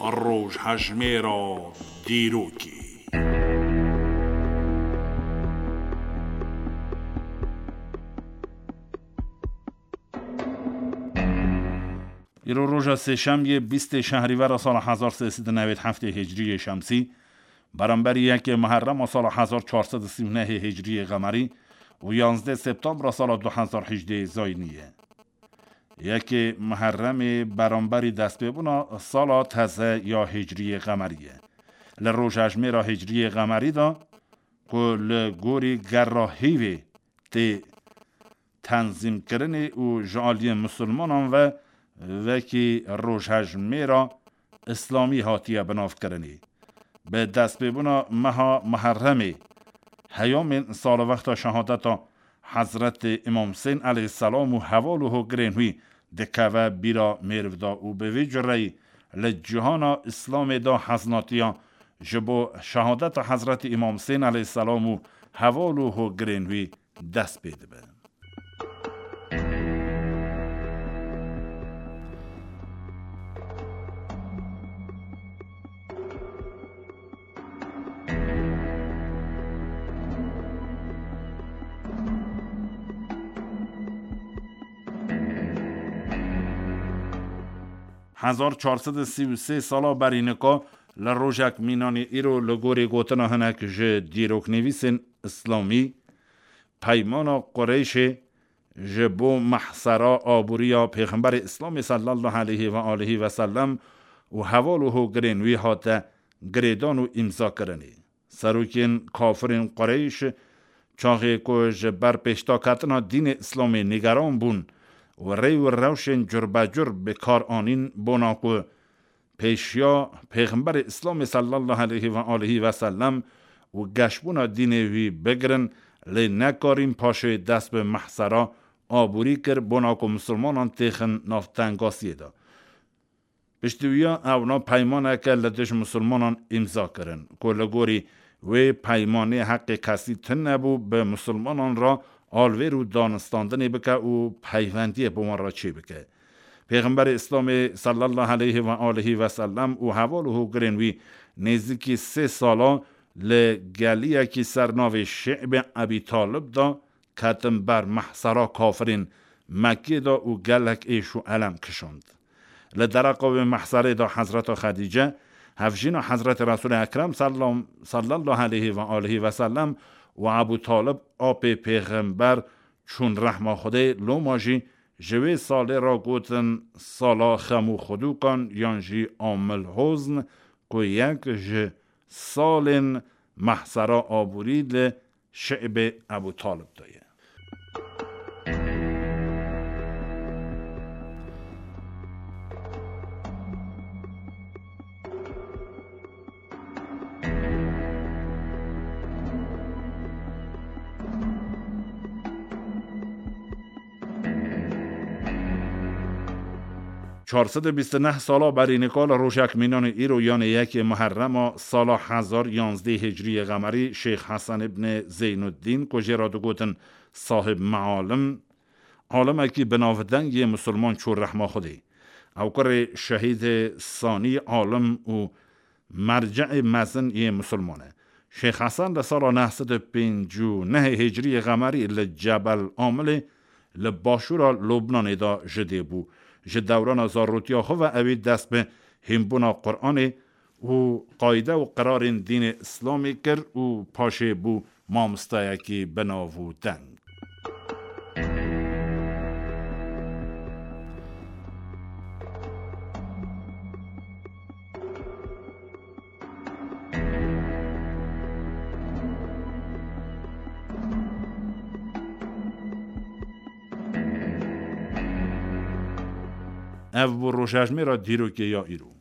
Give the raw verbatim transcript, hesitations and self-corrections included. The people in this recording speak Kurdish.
Rojhejmêra dîrokê. Îro roja sêşemiyê, bîstê şehrîvera sala hezar sê sed û newêd heftê hicriyê şemsî, beramberî yekê Muherrema sala hezar çar sed û sî û nehê hicriyê qemerî û yanzdê septembra sala du hezar hejdê zayînî ye. Yekê Muherremê beramberî destpêbûna sala teze ya hicriyê qemerî ye. Li rojhejmêra hicriyê qemerî de ku li gorî gerra hîvê tê tenzîmkirinê û ji aliyê misilmanan ve wekî rojhejmêra îslamî hatiye binavkirinê. Bi destpêbûna meha Muherremê, heyamên salwexta şehadeta Hezretê Îmam Husên aleyhisselam û heval û hogirên wî dikeve bîra mêrv de û bi vî cureyî li cîhana Îslamê de heznatiya ji bo şehadeta Hezretê Îmam Husên aleyhisselam û heval û hogirên wî dest pê dibe. Hezar çar sed û sî û sê sala berî nika, li rojek mînanî îro, li gorî gotina hinek ji dîroknivîsên îslamî, peymana Qureyşê ji bo mehsera aboriya Pêxemberê Îslamê sallallahu aleyhi ve aleyhi ve sellem û heval û hogirên wî hate girêdan û îmzakirinê. Serokên kafirên Qureyş, çaxê ku ji ber pêşdaketina dînê Îslamê nîgeran bûn û rê û rewşên curbecur bi kar anîn, bona ku pêşiya Pêxemberê Îslamê sallallahu aleyhi ve aleyhi ve sellem û geşbûna dînê wî bigirin, lê nekarîn paşê dest bi mehsera aborî kir, bona ku misilmanan têxin nav tengasiyê de. Piştî wiya ewna peymaneke li dij misilmanan îmza kirin, ku li gorî wê peymanê heqê kesî tune bû bi misilmanan re alvêr û danistandinê bike û peywendiyê bi wan re çêbike. Pêxemberê Îslamê sallallahu aleyhi ve aleyhi ve sellem û heval û hogirên wî nêzîkî sê sala li geliyekî ser navê Şi'bê Ebî Talib de ketin ber mehsera kafirên Mekkê de û gelek êş û elem kişand. Li dereqa wê mehserê de Hezreta Xedîce, hevjîna Hezretê Resûlê Ekrem sallam-, sallallahu aleyhi ve aleyhi ve sellem û Ebû Talib, apê Pêxember, çûn rehma Xwedê, loma jî ji wê salê re gotin sala xem û xwedûkan yan jî amil hozn, ku yek ji salên mehsera aborî li Şi'bê Ebû Talib de ye. Çar sed û bîst û neh sala berî nika li rojek mînanê îro, yanê yekê Muherrema sala hezar yanzdeh Hicriyê Qemerî, Şêx Hesen îbnê Zeynuddîn, ku jê re digotin Sahib Mealim, alimekî bi navdeng yê misilman çû rehma Xwedê. Ew kurê şehîdê sanî, alim û merceê mezin yê misilman e. Şêx Hesen li sala neh sed û pêncî û nehê Hicriyê Qemerî li Cebel Amilê li başûra Lubnanê de ji dê bû. Ji dewrana zarotiya xwe ve ewî dest bi hînbûna Quranê û qayde û qirarên dînê Îslamê kir û paşê bû mamostayekî bi nav û deng. Ev bû rojhejmêra dîrokê ya îro.